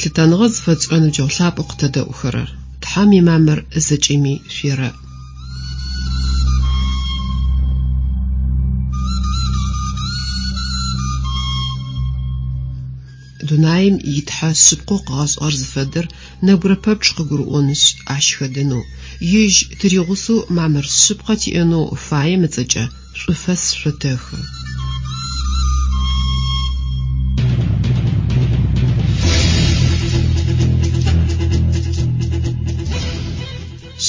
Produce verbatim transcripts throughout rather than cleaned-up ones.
Лъытэныгъэ зыфэтшӏырэ ныбджэгъу лъапӏэу къытэдэӏухэрэр, Тхьэм имамыр зэкӏэми шъуерэӏ. Дунаим итхьэ шъыпкъэу къыгъэшӏыгъэр зыфэдэр нэбгырэ пэпчъ къыгурыӏонышъ, ащ хэдэнэу, ежь тыригъусэу мамыр шъыпкъэ тиӏэнэу фаем ыцӏэкӏэ шӏуфэс шъотэхы.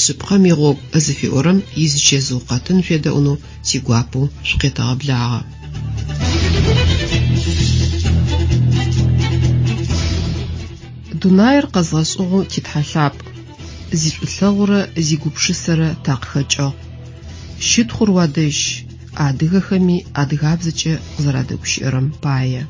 Шъыпкъэм игъогу зыфиӏорэм изычэзыу къэтын шъуедэӏунэу тигуапэу шъукъетэгъэблагъэ. Дунаир къэзгъэшӏыгъэу титхьэ лъапӏ, зишӏулъэгъурэ зигупшысэрэ такъыхэкӏыгъ. Щытхъур уадэжь, адыгэхэми адыгабзэкӏэ къызэрадэгущыӏэрэм пае.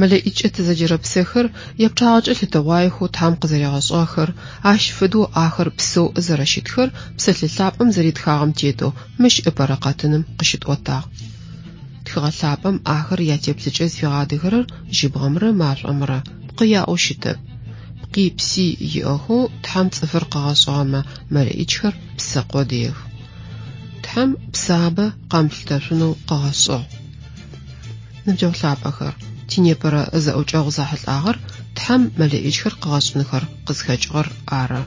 Мэлэӏичкӏэ тызэджэрэ псэхэр япчъагъэкӏэ лъытэгъуаехэу Тхьэм къызэригъэшӏыгъэхэр, ащ фэдэу ахэр псэу зэрэщытхэр Псэлъэ лъапӏэм зэритхагъэм тетэу мыщ ыпэрэ къэтыным къыщытӏотагъ. Тхыгъэ лъапӏэм ахэр ятеплъыкӏэ зыфигъадэхэрэр жьыбгъэмрэ машӏомрэ, пкъы яӏэу щытэп. Пкъи пси иӏэхэу Тхьэм цӏыфыр къыгъэшӏыгъэмэ мэлэӏичхэр псэ къодыех. Тхьэм псабэ къэмылъытэшъунэу къыгъэшӏыгъ. Ныбджэгъу лъапӏэхэр, тинепэрэ зэӏукӏэгъу зэхьылӏагъэр Тхьэм мэлэӏичхэр къыгъэшӏынхэр къызхэкӏыгъэр ары.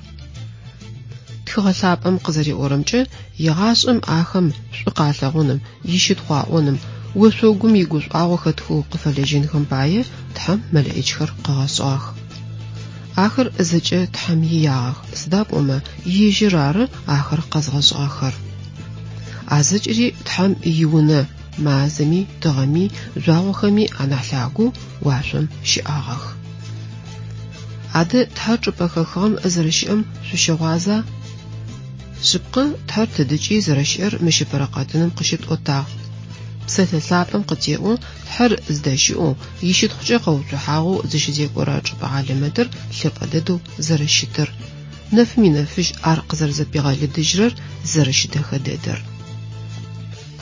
Тхыгъэ лъапӏэм къызэриӏорэмкӏэ, егъашӏэм ахэм шӏу къалъэгъуным, ищытхъу аӏоным, ошъогум игушӏуагъо хэтхэу къыфэлэжьэнхэм пае Тхьэм мэлэӏичхэр къыгъэшӏыгъэх. Ахэр зэкӏэ Тхьэм иягъэх, сыда пӏомэ ежьыр ары ахэр къэзгъэшӏыгъэхэр. А зэкӏэри Тхьэм иунэ мазэми, тыгъэми, жъуагъохэми анахь лъагэу уашъом щыӏагъэх. Адэ Тхьэр чӏыпӏэ хэхыгъэм зэрэщыӏэм шъущыгъуаза? Шъыпкъэ, Тхьэр тыдыкӏи зэрэщыӏэр мыщ ыпэрэ къэтыным къыщытӏотагъ. Псэлъэ лъапӏэм къытеӏо Тхьэр зыдэщыӏэу, ищытхъукӏэ къэуцухьагъэу зыщызекӏорэ чӏыпӏэ хьалэмэтыр лъэпӏэ дэдэу зэрэщытыр. Нэфым инэфыжь ар къызэрэзэпигъэлыдыжьырэр зэрэщыдэхэ дэдэр.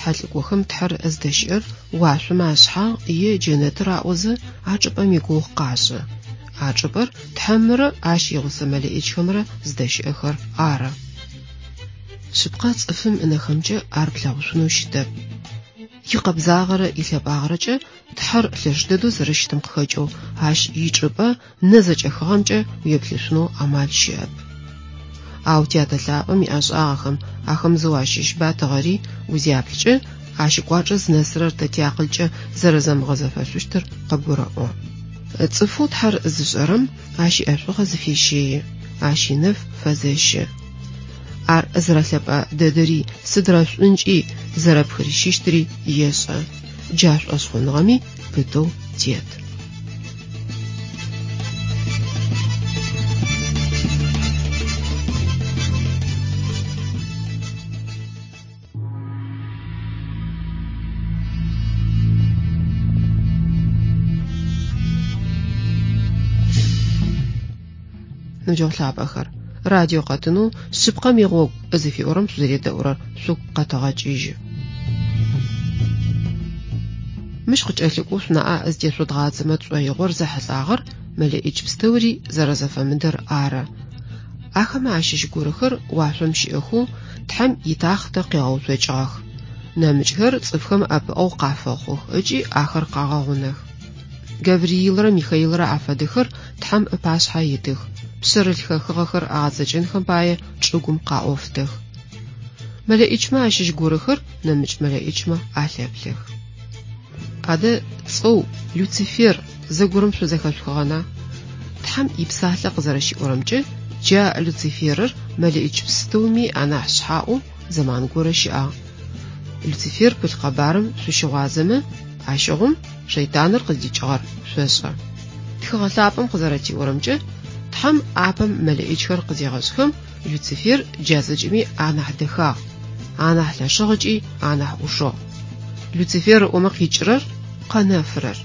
Тхьэлӏыкӏохэм Тхьэр зыдэщыӏэр уашъомэ ашъхьагъ е джэнэтыр аӏозэ а чӏыпӏэм игугъу къашӏы. А чӏыпӏэр Тхьэмрэ ащ игъусэ мэлэӏичхэмрэ зыдэщыӏэхэр ары. Шъыпкъэ цӏыфым ынэхэмкӏэ ар плъэгъушъунэу щытэп. Икъэбзагъэрэ илъэпӏагъэрэкӏэ Тхьэр лъэш дэдэу зэрэщытым къыхэкӏэу ащ ичӏыпӏэ нэ зэкӏэхыгъэмкӏэ уеплъышъунэу амал щыӏэп. Ау тятэ лъапӏэм иӏэшӏагъэхэм ахэм зэу ащыщ батыгъэри узяплъкӏэ ащ ыкӏуачӏэ зынэсырэр тэ тиакъылкӏэ зэрэзэмыгъэзэфэшъущтыр къыбгурэӏо. Цӏыфэу Тхьэр зышӏэрэм ащ иӏэшӏугъэ зыфещэи, ащ инэф фэзэщы. Ар зэрэлъэпӏэ дэдэри сыдрэ шӏункӏи зэрэпхырищыщтыри ешӏэ. Джа шӏошъхъуныгъэми пытэу тет. Ныбджэгъу лъапӏэхэр, радио къэтынэу шъыпкъэм игъогу зыфиӏорэм шъузэредэӏурэр шъугу къэтэгъэкӏыжьы. Мыщ къыкӏэлъыкӏоу шъунаӏэ зытешъодгъадзэмэ тшӏоигъор зэхьылӏагъэр мэлэӏич пстэури зэрэзэфэмыдэр ары. Ахэмэ ащыщ горэхэр уашъом щыӏэхэу Тхьэм итахътэ къегъэуцокӏыгъэх. Нэмыкӏхэр цӏыфхэм ӏэпыӏэгъу къафэхъух ыкӏи ахэр къагъэгъунэх. Гавриилрэ Михаилрэ афэдэхэр Тхьэм ыпашъхьэ итых, пшъэрылъ хэхыгъэхэр агъэцэкӏэнхэм пае чӏыгум къаӏофтэх. Мэлэӏичмэ ащыщ горэхэр нэмыкӏ мэлэӏичмэ алъэплъэх. Адэ цӏэу Люцифер зэгорэм шъузэхэшъухыгъэна? Тхьэм ипсалъэ къызэрэщиӏорэмкӏэ, джа Люциферыр мэлэӏич пстэуми анахь шъхьаӏэу зэман горэ щыӏагъ. Люцифер пылъ къэбарым шъущыгъуазэмэ, ащыгъум шэйтаныр къыздикӏыгъэр шъошӏэ. Тхыгъэ лъапӏэм къызэрэтиӏорэмкӏэ, Тхьэм апэм мэлэӏичхэр къызегъэшӏхэм Люцифер джа зэкӏэми анахь дэхагъ, анахь лъэшыгъ ыкӏи анахь ӏушыгъ. Люцифер ыӏомэ къикӏырэр къэнэфырэр.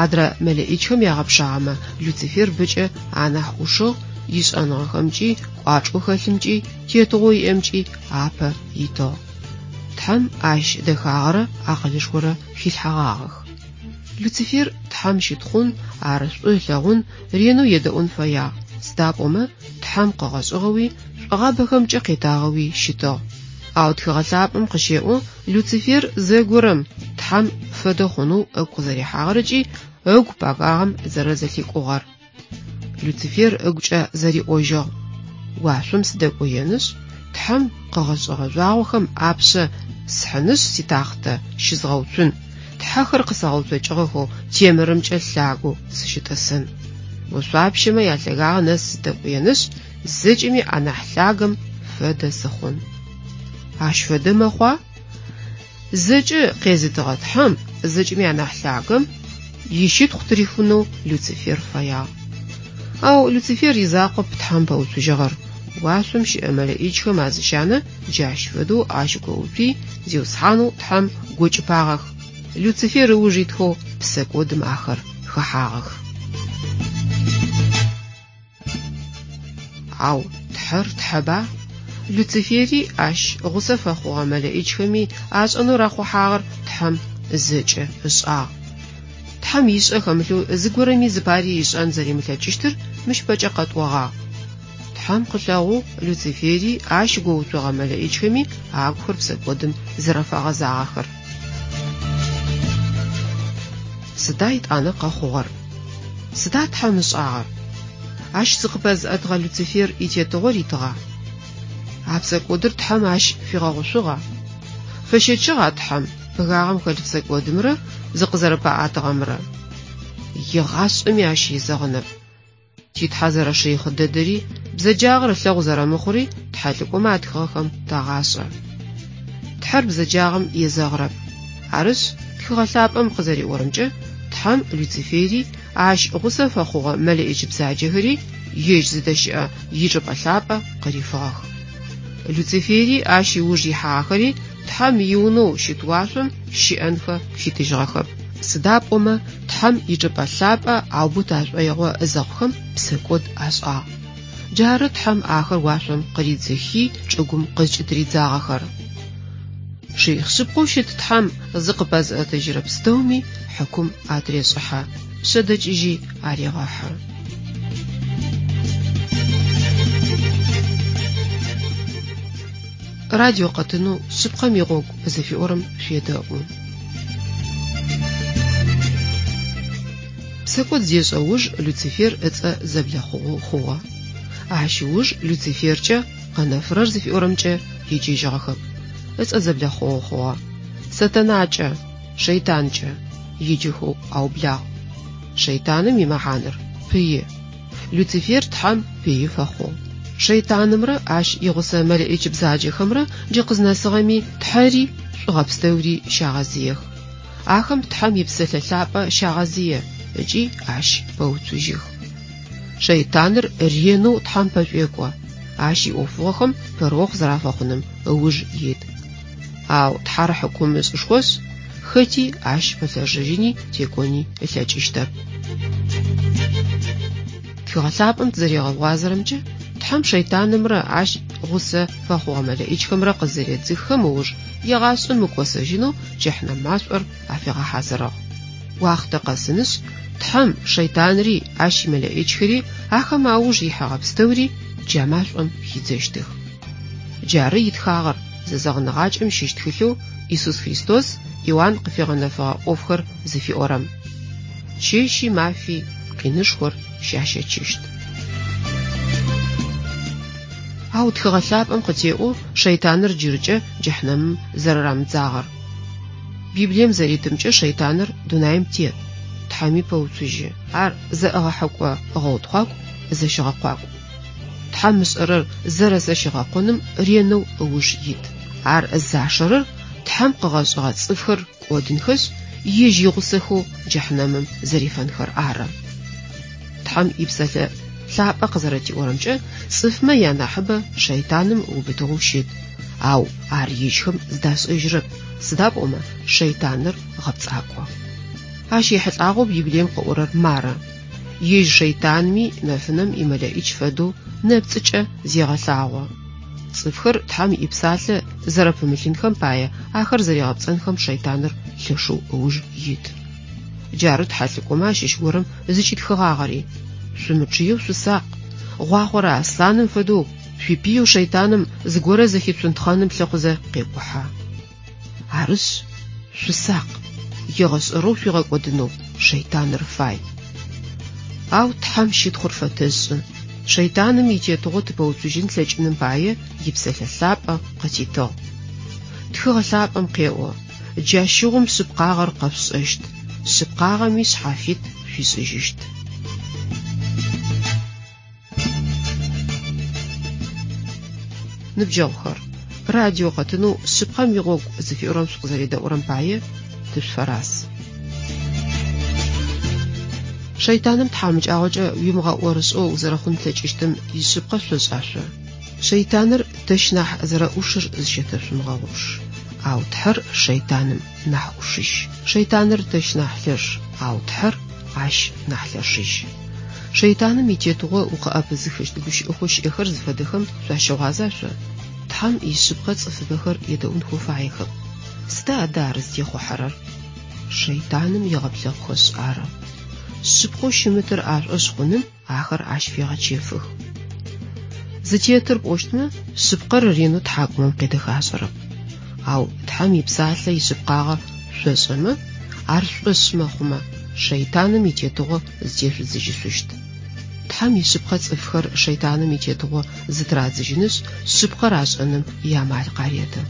Адрэ мэлэӏичхэм ягъэпшагъэмэ Люцифер бэкӏэ анахь ӏушыгъ, ишӏэныгъэхэмкӏи, кӏуачӏэу хэлъымкӏи, тетыгъоу иӏэмкӏи апэ итыгъ. Тхьэм ащ дэхагъэрэ акъылышхорэ хилъхьэгъагъэх. Люцифер Тхьэм щытхъун, ар шӏу ылъэгъун, ренэу едэӏун фэягъ, сыда пӏомэ Тхьэм къыгъэшӏыгъэуи, шӏогъабэхэмкӏэ къетагъэуи щытыгъ. Ау тхыгъэ лъапӏэм къыщеӏо Люцифер зэгорэм Тхьэм фэдэ хъунэу ыгу къызэрихьагъэр ыкӏи ыгу пэгагъэм зэрэзэлъикӏугъэр. Люцифер ыгукӏэ зэриӏожьыгъ: Уашъом сыдэкӏоенышъ, Тхьэм къыгъэшӏыгъэ жъуагъохэм апшъэ схьынышъ ситахътэ щызгъэуцун, тхьэхэр къысэгъэуцокӏыгъэхэу темырымкӏэ лъагэу сыщытӏысын. Ошъуапщэмэ ялъэгагъэ нэс сыдэкӏоенышъ, зэкӏэми анахь лъагэм фэдэ сыхъун. Ащ фэдэ мэхъуа? Зэкӏэ къезытыгъэ Тхьэм, зэкӏэми анахь лъагэм ищытхъу тырихынэу Люцифер фэягъ. Ау Люцифер изакъоп Тхьэм пэуцужьыгъэр. Уашъом щыӏэ мэлэӏичхэм азыщанэ джащ фэдэу ащ гоуцуи, Зиусхьанэу Тхьэм гокӏыпагъэх. Люцифер ыуж итхэу псэкӏодым ахэр хэхьагъэх. Ау Тхьэр Тхьэба? Люцифери ащ гъусэ фэхъугъэ мэлэӏичхэми ашӏэнэу рахъухьагъэр Тхьэм зэкӏэ ышӏагъ. Тхьэм ишӏэ хэмылъэу зыгорэми зыпари ышӏэн зэримылъэкӏыщтыр мыщ бэкӏэ къэтӏогъагъ. Тхьэм къылъэгъугъ Люцифери ащ гоуцогъэ мэлэӏичхэми агухэр псэкӏодым зэрэфэгъэзагъэхэр. Сыда итӏанэ къэхъугъэр? Сыда Тхьэм ышӏагъэр? Ащ зыкъыпэзыӏэтыгъэ Люцифер итетыгъо ритыгъа? А псэкӏодыр Тхьэм ащ фигъэгъушъугъа? Фэщэчыгъа Тхьэм пэгагъэм хэлъ псэкӏодымрэ зыкъызэрэпаӏатыгъэмрэ? Егъашӏэми ащ езэгъынэп. Ти Тхьэ зэрэшыихъ дэдэри, бзэджагъэр ылъэгъу зэрэмыхъури тхьэлӏыкӏомэ атхыгъэхэм тагъашӏэ. Тхьэр бзэджагъэм езэгъырэп. Арышъ, тхыгъэ лъапӏэм къызэриӏорэмкӏэ, Тхьэм Люцифери ащ гъусэ фэхъугъэ мэлэӏич бзаджэхэри ежь зыдэщыӏэ ичӏыпӏэ лъапӏэ къырифыгъэх. Люцифери ащ ыуж ихьагъэхэри Тхьэм иунэу щыт уашъом щыӏэнхэ фитыжьыгъэхэп. Сыда пӏомэ Тхьэм ичӏыпӏэ лъапӏэ аубыт ашӏоигъо зэхъухэм псэкӏод ашӏагъ. Джары Тхьэм ахэр уашъом къыридзыхи чӏыгум къызкӏытыридзагъэхэр. Шыихъ шъыпкъэу щыт Тхьэм зыкъыпэзыӏэтыжьырэ пстэуми хьыкум атырешӏыхьэ, пшъэдэкӏыжьи арегъэхьы. Радио къэтынэу шъыпкъэм игъогу зыфиӏорэм шъуедэӏу. Псэкӏод зешӏэ уж Люцифер ыцӏэ зэблэхъугъэу хъугъэ. Ащ ыуж Люциферкӏэ къэнэфырэр зыфиӏорэмкӏэ еджэжьыгъэхэп. Ыцӏэ зэблэхъугъэу хъугъэ. Сатанакӏэ, шэйтанкӏэ еджэхэу аублагъ. Шэйтаным имэхьаныр пыи. Люцифер Тхьэм пыи фэхъугъ. Шэйтанымрэ ащ игъусэ мэлэӏич бзаджэхэмрэ джы къызнэсыгъэми Тхьэри шӏугъэ пстэури щагъэзыех. Ахэм Тхьэм ипсэлъэ лъапӏэ щагъэзые ыкӏи ащ пэуцужьых. Шэйтаныр ренэу Тхьэм пэшӏуекӏо, ащ иӏофыгъохэм пэрыохъу зэрафэхъуным ыуж ит. Ау Тхьэр хьыкум ышӏышхошъ, хэти ащ пэлъэшыжьыни текӏони ылъэкӏыщтэп. Тхыгъэ лъапӏэм тызэригъэгъуазэрэмкӏэ, Тхьэм шэйтанымрэ ащ гъусэ фэхъугъэ мэлэӏичхэмрэ къызэредзыххэм ыуж егъашӏэм мыкӏосэжьынэу джэхьнэм машӏор афигъэхьазырыгъ. Уахътэ къэсынышъ, Тхьэм шэйтанри ащ имэлэӏичхэри ахэм ауж ихьэгъэ пстэури джа машӏом хидзэщтых. Джары итхагъэр зэзэгъыныгъакӏэм щыщ тхылъэу Иисус Христос Иоанн къыфигъэнэфэгъэ ӏофхэр зыфиӏорэм. Чэщи мафи къинышхор щащэчыщт. Ау тхыгъэ лъапӏэм къытеӏо шэйтаныр джыркӏэ джэхьнэмым зэрэрамыдзагъэр. Библием зэритымкӏэ шэйтаныр дунаим тет, Тхьэми пэуцужьы. Ар зэӏыгъэхьэкӏо гъэутхъуакӏу, зэщыгъэкъуакӏу. Тхьэм ышӏэрэр зэрэзэщигъэкъоным ренэу ыуж ит. Ар зашэрэр Тхьэм къыгъэшӏыгъэ цӏыфхэр кӏодынхэшъ, ежь игъусэхэу джэхьнэмым зэрифэнхэр ары. Тхьэм ипсэлъэ лъапӏэ къызэрэтиӏорэмкӏэ, цӏыфмэ янахьыбэ шэйтаным ыубытыгъэу щыт, ау ар ежьхэм зыдашӏэжьырэп, сыда пӏомэ шэйтаныр гъэпцӏакӏо. Ащ ехьылӏагъэу Библием къыӏорэр мары: Ежь шэйтанми нэфынэм имэлэӏич фэдэу нэпцӏыкӏэ зегъэлъагъо. Цӏыфхэр Тхьэм ипсалъэ зэрэпымылъынхэм пае ахэр зэригъэпцӏэнхэм шэйтаныр лъэшэу ыуж ит. Джары тхьэлӏыкӏомэ ащыщ горэм зыкӏитхыгъагъэри: Шъумычъыеу шъусакъ, гъуахъорэ аслъаным фэдэу шъуипыеу шэйтаным зыгорэ зэхицунтхъэным лъыхъузэ къекӏухьэ. Арышъ, шъусакъ, егъэшӏэрэу шъуигъэкӏодынэу шэйтаныр фай. Ау Тхьэм щытхъур фэтэшӏы. Шэйтаным итетыгъо тыпэуцужьын тлъэкӏыным пае ипсэлъэ лъапӏэ къытитыгъ. Тхыгъэ лъапӏэм къеӏо: Джащыгъум шъыпкъагъэр къэшъушӏэщт, шъыпкъагъэми шъхьафит шъуишӏыжьыщт. Ныбджэгъухэр, радио къэтынэу шъыпкъэм игъогу зыфиӏорэм шъукъызэредэӏурэм пае тышъуфэраз. Шэйтаным тхьамыкӏагъокӏэ уимыгъэӏорышӏэу узэрэхъун плъэкӏыщтым ишъыпкъэ шъошӏа шъо? Шэйтаныр тэщ нахь зэрэӏушыр зыщэтэшъумыгъэгъупш. Ау Тхьэр шэйтаным нахь ӏушыжь. Шэйтаныр тэщ нахь лъэш, ау Тхьэр ащ нахь лъэшыжь. Шэйтаным итетыгъо укъыӏэпызыхыщт гущыӏэхэу щыӏэхэр зыфэдэхэм шъуащыгъуаза шъо? Тхьэм ишъыпкъэ цӏыфыбэхэр едэӏунхэу фаехэп. Сыда адэ ар зытехъухьэрэр? Шэйтаным егъэплъэхъухэшъ ары. Шъыпкъэу щымытыр ашӏошъ хъуным ахэр ащ фегъэчэфых. Зытетыр пӏощтмэ, шъыпкъэр ренэу тхьакӏумэм къедэхашӏэрэп. Ау Тхьэм ипсалъэ ишъыпкъагъэ шъошӏэмэ, ар шӏошъ мэхъумэ, шэйтаным итетыгъо зытешъудзыжьышъущт. Тхьэм ишъыпкъэ цӏыфхэр шэйтаным итетыгъо зытырадзыжьынышъ, шъыпкъэр ашӏэным иамал къареты.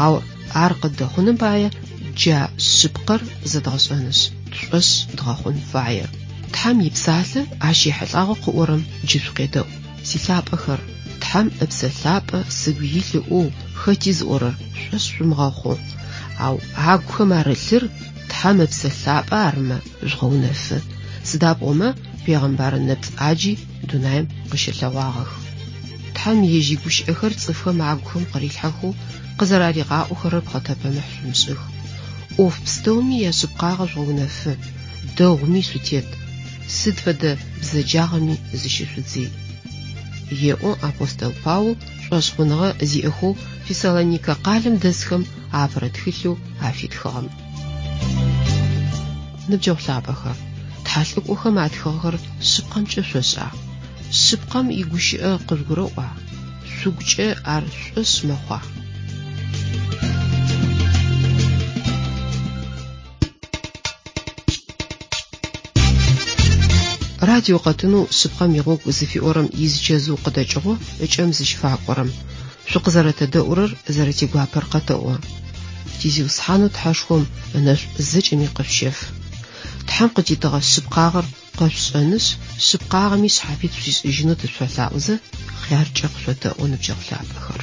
Ау ар къыддэхъуным пае джа шъыпкъэр зэдгъэшӏэнышъ, тшӏошъ дгъэхъун фае. Тхьэм ипсалъэ ащ ехьылӏагъэу къыӏорэм джы шъукъедэӏу. Силъапӏэхэр, Тхьэм ыпсэ лъапӏэ сыгу илъ ыӏоу хэти зыӏорэр шӏошъ шъумыгъэхъу. Ау агухэм арылъыр Тхьэм ыпсэ лъапӏэ арымэ жъугъэунэфы. Сыда пӏомэ пегъэмбар нэпцӏ ӏаджи дунаим къыщылъэгъуагъэх. Тхьэм ежь игущыӏэхэр цӏыфхэм агухэм къырилъхьэхэу къызэраригъаӏохэрэр пхъэтэпэмыхь шъумышӏых. ӏоф пстэуми яшъыпкъагъэ жъугъэунэфы, дэгъуми шъутет, сыд фэдэ бзэджагъэми зыщышъудзый. Еӏо апостол Паул шӏошъхъуныгъэ зиӏэхэу Фессалоникэ къалэм дэсхэм апэрэ тхылъэу афитхыгъэм. Ныбджэгъу лъапӏэхэр, тхьэлӏыкӏохэм атхыгъэхэр шъыпкъэмкӏэ шъошӏа? Шъыпкъэм игущыӏэ къыжъугурэӏуа? Шъугукӏэ ар шӏошъ мэхъуа? Радио къэтынэу шъыпкъэм игъогу зыфиӏорэм изычэзыу къыдэкӏыгъо ыкӏэм зыщыфакӏорэм. Шъукъызэрэтэдэӏурэр зэрэтигуапэр къэтэӏо. Тизиусхьанэу Тхьэшхом ынэшӏу зэкӏэми къышъущэф. Тхьэм къытитыгъэ шъыпкъагъэр къэшъушӏэнышъ, шъыпкъагъэми шъхьафит шъуишӏыжьынэу тышъуфэлъаӏозэ, хъяркӏэ къышъотэӏо ныбджэгъу лъапӏэхэр.